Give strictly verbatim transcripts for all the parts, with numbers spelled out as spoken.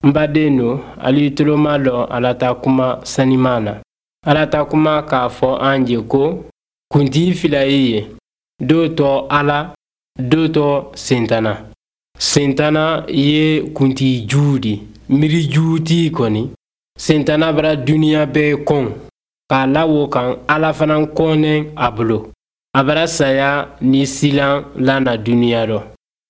N baden don, alu tuloma lɔ Ala ta kuma saniman na. Ala ta kuma k'a fɔ an ye ko kuntigi fila ye yen, dɔ tɔ Ala, dɔ tɔ Sentana. Sentana ye kuntigi jugu di, miiri jugutigi kɔni. Sentana bara duniɲa bɛɛ kɔn, k'a la o kan Ala fana kɔnnen a bolo. A bara saya ni silan lana duniɲa rɔ.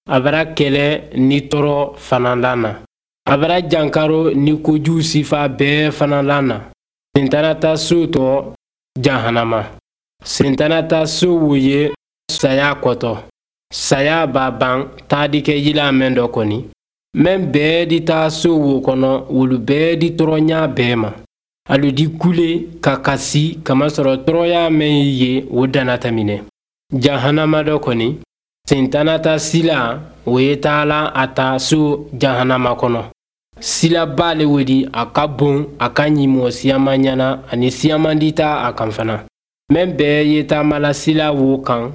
A bara kɛlɛ ni tɔɔrɔ fana lana. A bara jankaro ni kojugu sifa bɛɛ fana lana. Sentana ta so tɔ jahanama. Sentana ta so wo ye saya kɔtɔ. Saya b'a ban taadi kɛ yila mɛn dɔ kɔni. Mɛn bɛɛ di taa so wo kɔnɔ, wolu bɛɛ di tɔɔrɔnya bɛɛ ma. Alu di kule ka kasi kamasɔrɔ tɔɔrɔya mɛn ye o danna tɛmɛnɛ. Jahanama dɔ kɔni, Sentana ta sila o ye taala a ta so jahanama kɔnɔ. Silaba le wo di, a ka bon, a ka ɲi mɔgɔ siyaman ɲɛna ani siyaman di ta a kan fana. Mɛn bɛɛ ye taamala sila wo kan,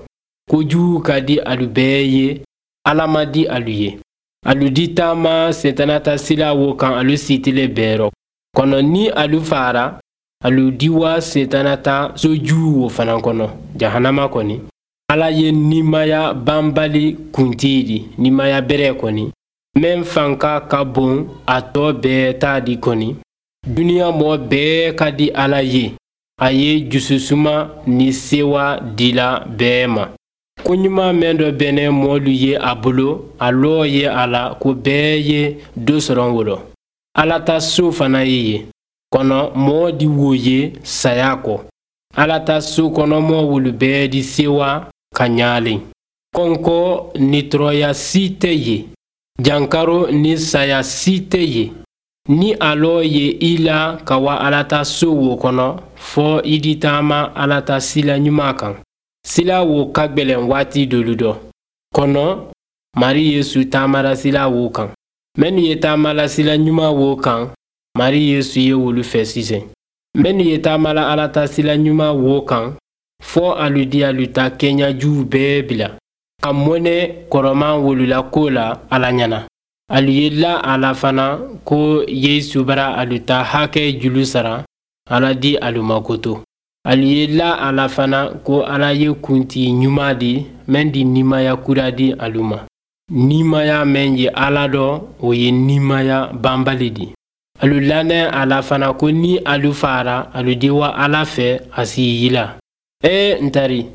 kojugu ka di alu bɛɛ ye, Ala ma di alu ye. Alu di taama Sentana ta sila wo kan alu sitile bɛɛ rɔ. Kɔnɔ ni alu fara, alu di wa Sentana ta sojugu wo fana kɔnɔ, jahanama kɔni. Ala ye nimaya banbali kuntigi di, nimaya bɛrɛ kɔni. Mɛn fanka ka bon a tɔ bɛɛ ta di kɔni. Duniɲa mɔgɔ bɛɛ ka di Ala ye. A ye jususuma ni sewa dila bɛɛ ma. Ko ɲuman mɛn dɔ bɛnɛ mɔɔlu ye a bolo, a lɔ ye a la ko bɛɛ ye dɔ sɔrɔ o rɔ. Ala ta so fana ye yen. Kɔnɔ mɔgɔ di wo ye saya kɔ. Ala ta so kɔnɔ mɔgɔ wolu bɛɛ di sewa ka ɲaalen. Kɔnkɔ ni tɔɔrɔya si tɛ yen. Jankaro ni saya si tɛ yen. Ni a lɔ ye i la ka wa Ala ta so wo kɔnɔ, fɔ i di taama Ala ta sila ɲuman kan. Sila wo ka gwɛlɛn waati dolu dɔ. Kɔnɔ, Mari Yesu taamara sila wo kan. Minnu ye taamala sila ɲuman wo kan, Mari Yesu ye wolu fɛ sisan. Minnu ye taamala Ala ta sila ɲuman wo kan, fɔ alu di alu ta kɛɲajuw bɛɛ bila. Ka mɔnɛ kɔrɔman wolu la ko la Ala ɲɛna. Alu ye la a la fana ko Yesu bara alu ta hakɛ julu sara, Ala di alu makoto. Alu ye la a la fana ko Ala ye kuntigi ɲuman di, mɛn di nimaya kura di alu ma. Nimaya mɛn ye Ala dɔ, o ye nimaya banbali di. Alu lanɛ a la fana ko ni alu fara, alu di wa Ala fɛ a si yila. Ee n tari,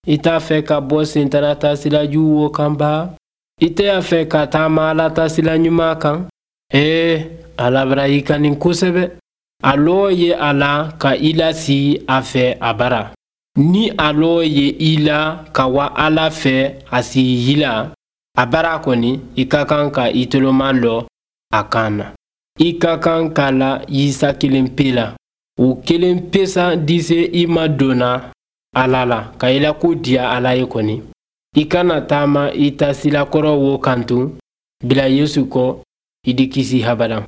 i t'a fɛ ka bɔ Sentana ta sila jugu wo kan ba? I tɛ a fɛ ka taama Ala ta sila ɲuman kan? Ee, Ala bara i kani kosɛbɛ. A lɔ ye a la ka i lasi a fɛ a bara. Ni a lɔ ye i la ka wa Ala fɛ a si yila, a bara kɔni, i ka kan ka i toloma lɔ a kan na. I ka kan ka la Isa kelen pe la. O kelen pe sa di se i ma donna Ala la, ka i la ko diya Ala ye kɔni. I kana taama i ta silakɔrɔ wo kan tun, bila Yesu kɔ, i di kisi habada.